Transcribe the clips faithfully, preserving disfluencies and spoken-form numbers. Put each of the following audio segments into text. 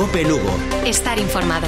Cope Lugo. Estar informado.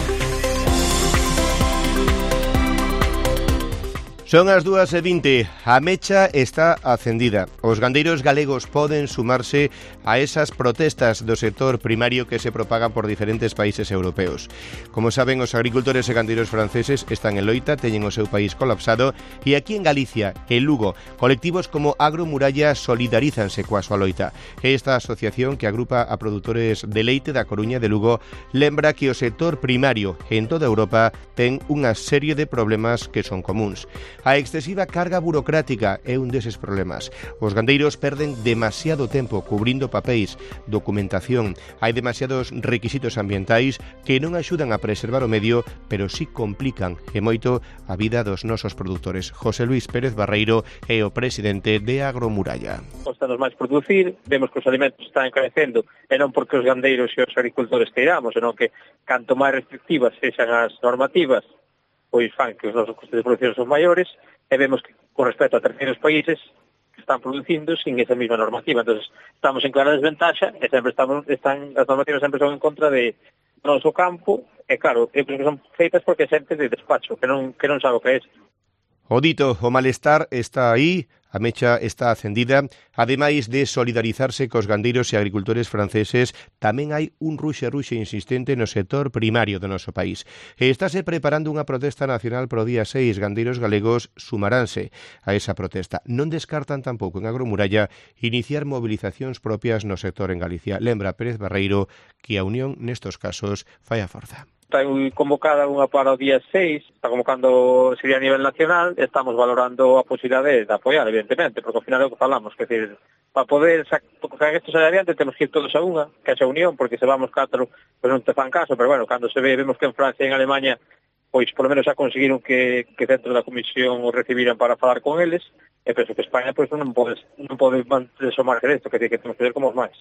Son as dúas e vinte, a mecha está acendida. Os gandeiros galegos poden sumarse a esas protestas do sector primario que se propagan por diferentes países europeos. Como saben, os agricultores e gandeiros franceses están en loita, teñen o seu país colapsado, e aquí en Galicia, en Lugo, colectivos como Agromuralla solidarízanse coa súa loita. Esta asociación, que agrupa a produtores de leite da Coruña de Lugo, lembra que o sector primario en toda Europa ten unha serie de problemas que son comuns. A excesiva carga burocrática é un deses problemas. Os gandeiros perden demasiado tempo cubrindo papéis, documentación. Hai demasiados requisitos ambientais que non axudan a preservar o medio, pero sí complican e moito a vida dos nosos produtores. José Luis Pérez Barreiro é o presidente de Agromuralla. Costanos máis producir, vemos que os alimentos están encarecendo, e non porque os gandeiros e os agricultores queiramos, senón que canto máis restrictivas sexan as normativas, pois fan que os nosos costes de producción son maiores, e vemos que con respecto a terceiros países que están producindo sin esa mesma normativa. Entonces estamos en clara desventaxa e sempre estamos, están, as normativas sempre son en contra de noso campo, e claro, que son feitas porque é xente de despacho, que non, que non sabe o que é. O dito, o malestar está aí, a mecha está acendida. Ademais de solidarizarse cos gandeiros e agricultores franceses, tamén hai un ruxe-ruxe insistente no sector primario do noso país. E estáse preparando unha protesta nacional pro día seis. Gandeiros galegos sumaránse a esa protesta. Non descartan tampouco en Agromuralla iniciar movilizacións propias no sector en Galicia. Lembra Pérez Barreiro que a unión nestos casos fai a forza. Está convocada unha para o día seis, está convocando, sería a nivel nacional, estamos valorando a posibilidade de apoiar, evidentemente, porque ao final é o que falamos, que decir, para poder sacar isto sair adiante temos que ir todos a unha, que é a unión, porque se vamos catro, pois non te fan caso, pero bueno, cando se ve, vemos que en Francia e en Alemania, pois polo menos xa conseguiron que, que dentro da comisión o recibiran para falar con eles, e penso que España pois non pode, non pode manter o margen isto, que, que temos que ver como os máis.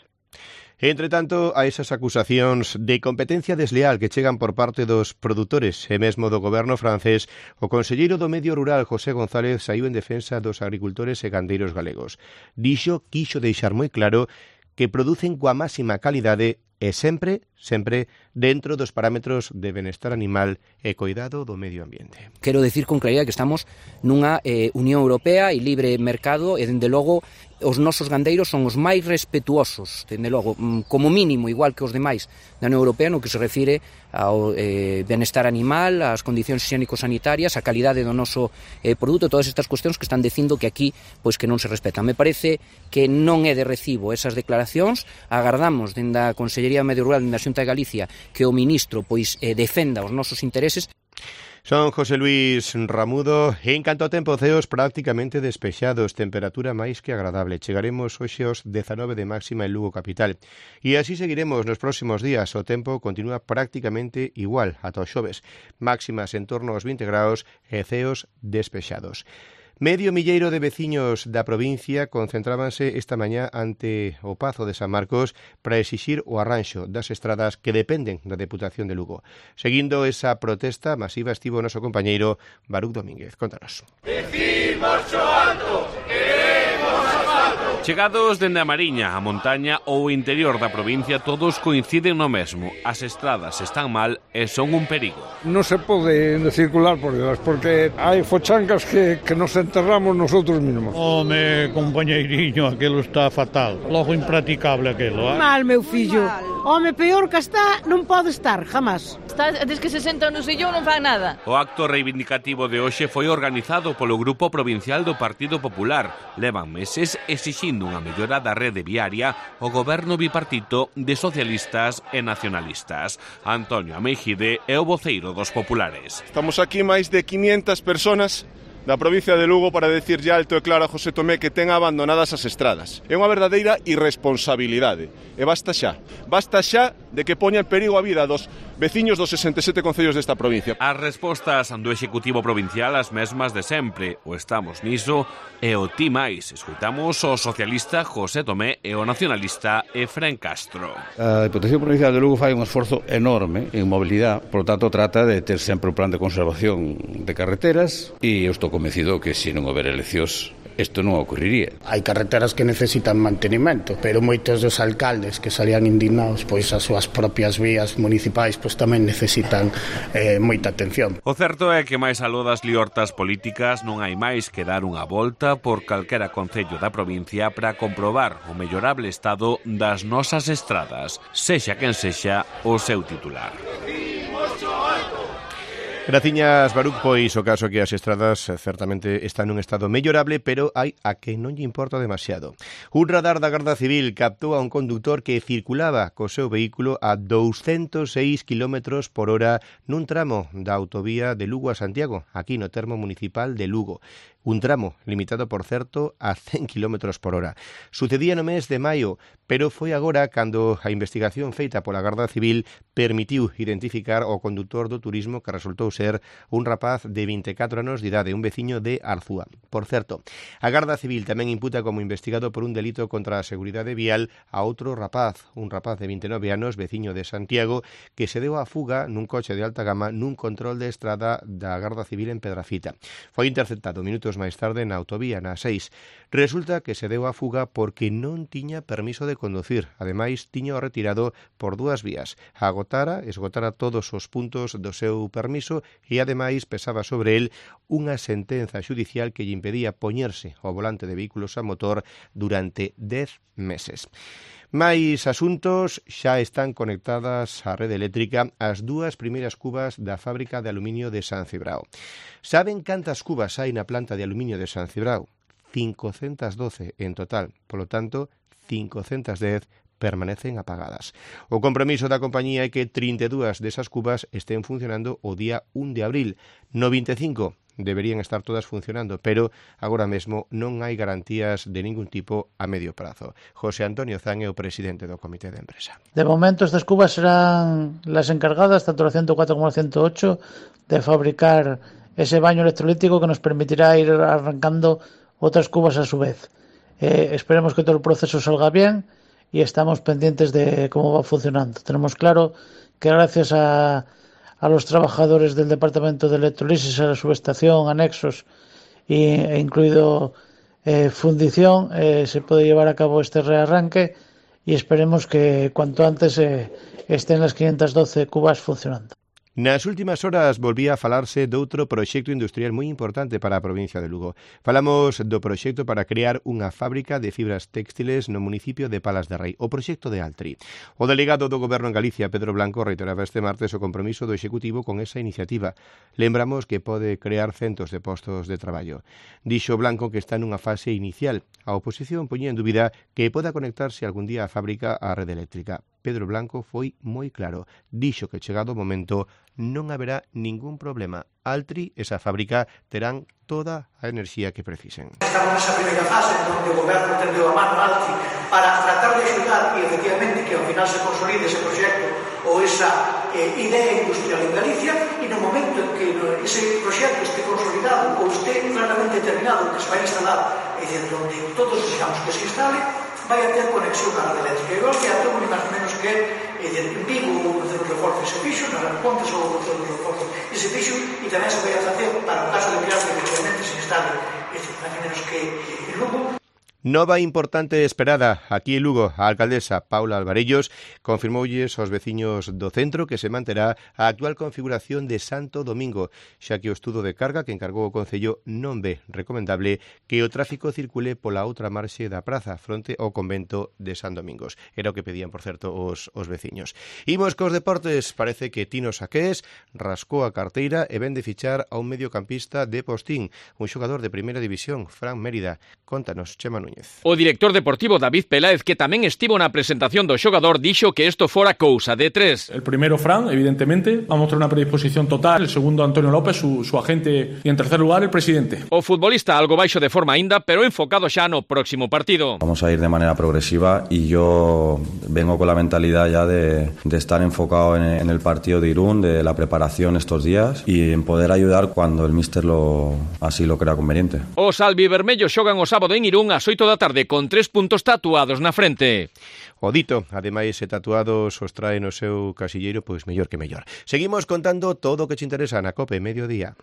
Entre tanto, a esas acusacións de competencia desleal que chegan por parte dos produtores e mesmo do goberno francés, o conselleiro do Medio Rural, José González, saiu en defensa dos agricultores e gandeiros galegos. Dixo, quixo deixar moi claro que producen coa máxima calidade e sempre, sempre dentro dos parámetros de benestar animal e cuidado do medio ambiente. Quero decir con claridade que estamos nunha eh, Unión Europea e libre mercado e, dende logo, os nosos gandeiros son os máis respetuosos, dende logo, como mínimo, igual que os demais da Unión Europea, no que se refire ao eh, benestar animal, ás condicións higiénico-sanitarias, a calidade do noso eh, produto, todas estas cuestións que están dicindo que aquí pois que non se respetan. Me parece que non é de recibo esas declaracións. Agardamos dende a Consellería de Medio Rural da Xunta de Galicia que o ministro pois eh, defenda os nosos intereses. Son José Luis Ramudo. En canto ao tempo, ceos prácticamente despexados, temperatura máis que agradable. Chegaremos hoxe aos dezanove de máxima en Lugo capital. E así seguiremos nos próximos días. O tempo continúa prácticamente igual ata o xoves. Máximas en torno aos vinte graus e ceos despexados. Medio milleiro de veciños da provincia concentrábanse esta mañá ante o Pazo de San Marcos para exixir o arranxo das estradas que dependen da Deputación de Lugo. Seguindo esa protesta masiva estivo o noso compañeiro Baruc Domínguez. Contanos. Decimos xo alto, queremos asfalto. Chegados dende a Mariña, a montaña ou o interior da provincia, todos coinciden no mesmo. As estradas están mal e son un perigo. Non se pode circular por elas, porque hai fochancas que, que nos enterramos nosotros mesmos. Home, compañeiriño, aquilo está fatal. Logo impraticable aquilo, eh? Mal, meu fillo. Home, peor que está, non pode estar, jamás. Está, des que se sentan no sillón non fan nada. O acto reivindicativo de hoxe foi organizado polo Grupo Provincial do Partido Popular. Levan meses exixindo unha mellora da rede viaria o goberno bipartito de socialistas e nacionalistas. Antonio Ameijide é o voceiro dos populares. Estamos aquí máis de quinientas personas da provincia de Lugo para decirlle alto e claro a José Tomé que ten abandonadas as estradas. É unha verdadeira irresponsabilidade. E basta xa. Basta xa de que poña en perigo a vida dos veciños dos sesenta e sete concellos desta provincia. As respostas do Executivo Provincial as mesmas de sempre. O estamos niso e o ti máis. Escoitamos o socialista José Tomé e o nacionalista Efrén Castro. A Deputación Provincial de Lugo fai un esforzo enorme en mobilidade, por lo tanto trata de ter sempre un plan de conservación de carreteras e eu estou convencido que se non houber eleccións isto non ocurriría. Hai carreteras que necesitan mantenimento, pero moitos dos alcaldes que salían indignados, pois as súas propias vías municipais pois tamén necesitan eh, moita atención. O certo é que máis aló das liortas políticas non hai máis que dar unha volta por calquera concello da provincia para comprobar o mellorable estado das nosas estradas, sexa quen sexa o seu titular. Graciñas, Baruch, pois o caso que as estradas certamente están nun estado mellorable, pero hai a que non lle importa demasiado. Un radar da Garda Civil captou a un conductor que circulaba co seu vehículo a douscentos seis kilómetros por hora nun tramo da autovía de Lugo a Santiago, aquí no termo municipal de Lugo. Un tramo limitado, por certo, a cen kilómetros por hora. Sucedía no mes de maio, pero foi agora cando a investigación feita pola Garda Civil permitiu identificar o condutor do turismo, que resultou ser un rapaz de vinte e catro anos de idade, un veciño de Arzúa. Por certo, a Garda Civil tamén imputa como investigado por un delito contra a seguridade vial a outro rapaz, un rapaz de vinte e nove anos, veciño de Santiago, que se deu a fuga nun coche de alta gama nun control de estrada da Garda Civil en Pedrafita. Foi interceptado minutos máis tarde na autovía, na seis. Resulta que se deu a fuga porque non tiña permiso de conducir. Ademais, tiña o retirado por dúas vías. Agotara, esgotara todos os puntos do seu permiso e, ademais, pesaba sobre el unha sentenza xudicial que lle impedía poñerse ao volante de vehículos a motor durante dez meses. Mais asuntos, xa están conectadas á rede eléctrica as dúas primeiras cubas da fábrica de aluminio de San Cibrao. Saben cantas cubas hai na planta de aluminio de San Cibrao? cincocentas doce en total, polo tanto, cincocentas dez permanecen apagadas. O compromiso da compañía é que trinta e dúas desas cubas estén funcionando o día un de abril. noventa e cinco deberían estar todas funcionando, pero agora mesmo non hai garantías de ningún tipo a medio prazo. José Antonio Zan é o presidente do Comité de Empresa. De momento estas cubas serán las encargadas, tanto la ciento cuatro como la ciento ocho, de fabricar ese baño electrolítico que nos permitirá ir arrancando otras cubas a su vez. Eh, esperemos que todo el proceso salga bien y estamos pendientes de cómo va funcionando. Tenemos claro que gracias a a los trabajadores del departamento de electrolisis, a la subestación, anexos e, e incluido eh, fundición, eh, se puede llevar a cabo este rearranque y esperemos que cuanto antes eh, estén las quinientas doce cubas funcionando. Nas últimas horas volvía a falarse doutro proxecto industrial moi importante para a provincia de Lugo. Falamos do proxecto para crear unha fábrica de fibras textiles no municipio de Palas de Rei, o proxecto de Altri. O delegado do Goberno en Galicia, Pedro Blanco, reiteraba este martes o compromiso do Executivo con esa iniciativa. Lembramos que pode crear centos de postos de traballo. Dixo Blanco que está nunha fase inicial. A oposición poñía en dúbida que poda conectarse algún día a fábrica á rede eléctrica. Pedro Blanco foi moi claro. Dixo que chegado o momento non haberá ningún problema. Altri, esa fábrica, terán toda a enerxía que precisen. Estamos nesa primeira fase onde o Goberno tendeu a mano Altri para tratar de axudar e, efectivamente, que ao final se consolide ese proxecto ou esa eh, idea industrial en Galicia, e no momento en que ese proxecto este consolidado ou este claramente terminado, que se vai instalar, é dicir, onde todos desexamos que se instale, vai a ter conexión á rede eléctrica. Igual que a todo, ni máis menos que é dicir, en Vigo o Concello de Reforzo se fixo, nas Pontes o Concello de Reforzo se fixo, e tamén se vai a facer para o caso de crear que efectivamente se instale, é dicir, máis menos que en Lugo. Nova importante esperada aquí en Lugo. A alcaldesa Paula Alvarellos confirmoulles aos veciños do centro que se manterá a actual configuración de Santo Domingo, xa que o estudo de carga que encargou o Concello non ve recomendable que o tráfico circule pola outra marxe da praza fronte ao convento de San Domingos. Era o que pedían, por certo, os, os veciños. Imos cos deportes. Parece que Tino Saqués rascou a carteira e ven de fichar a un mediocampista de Postín, un xogador de primeira división, Fran Mérida. Contanos, Chema Núñez. O director deportivo David Peláez, que tamén estivo na presentación do xogador, dixo que isto fora cousa de tres. El primero, Fran, evidentemente, va a mostrar unha predisposición total. El segundo, Antonio López, su, su agente. Y en tercer lugar, el presidente. O futbolista algo baixo de forma aínda, pero enfocado xa no próximo partido. Vamos a ir de manera progresiva y yo vengo con la mentalidad ya de, de estar enfocado en, en el partido de Irún, de la preparación estos días y en poder ayudar cuando el míster lo, así lo crea conveniente. Os albivermellos xogan o sábado en Irún ás oito da tarde con tres puntos tatuados na frente. O dito, ademais, se tatuados os trae no seu casilleiro, pois mellor que mellor. Seguimos contando todo o que te interesa na COPE Mediodía.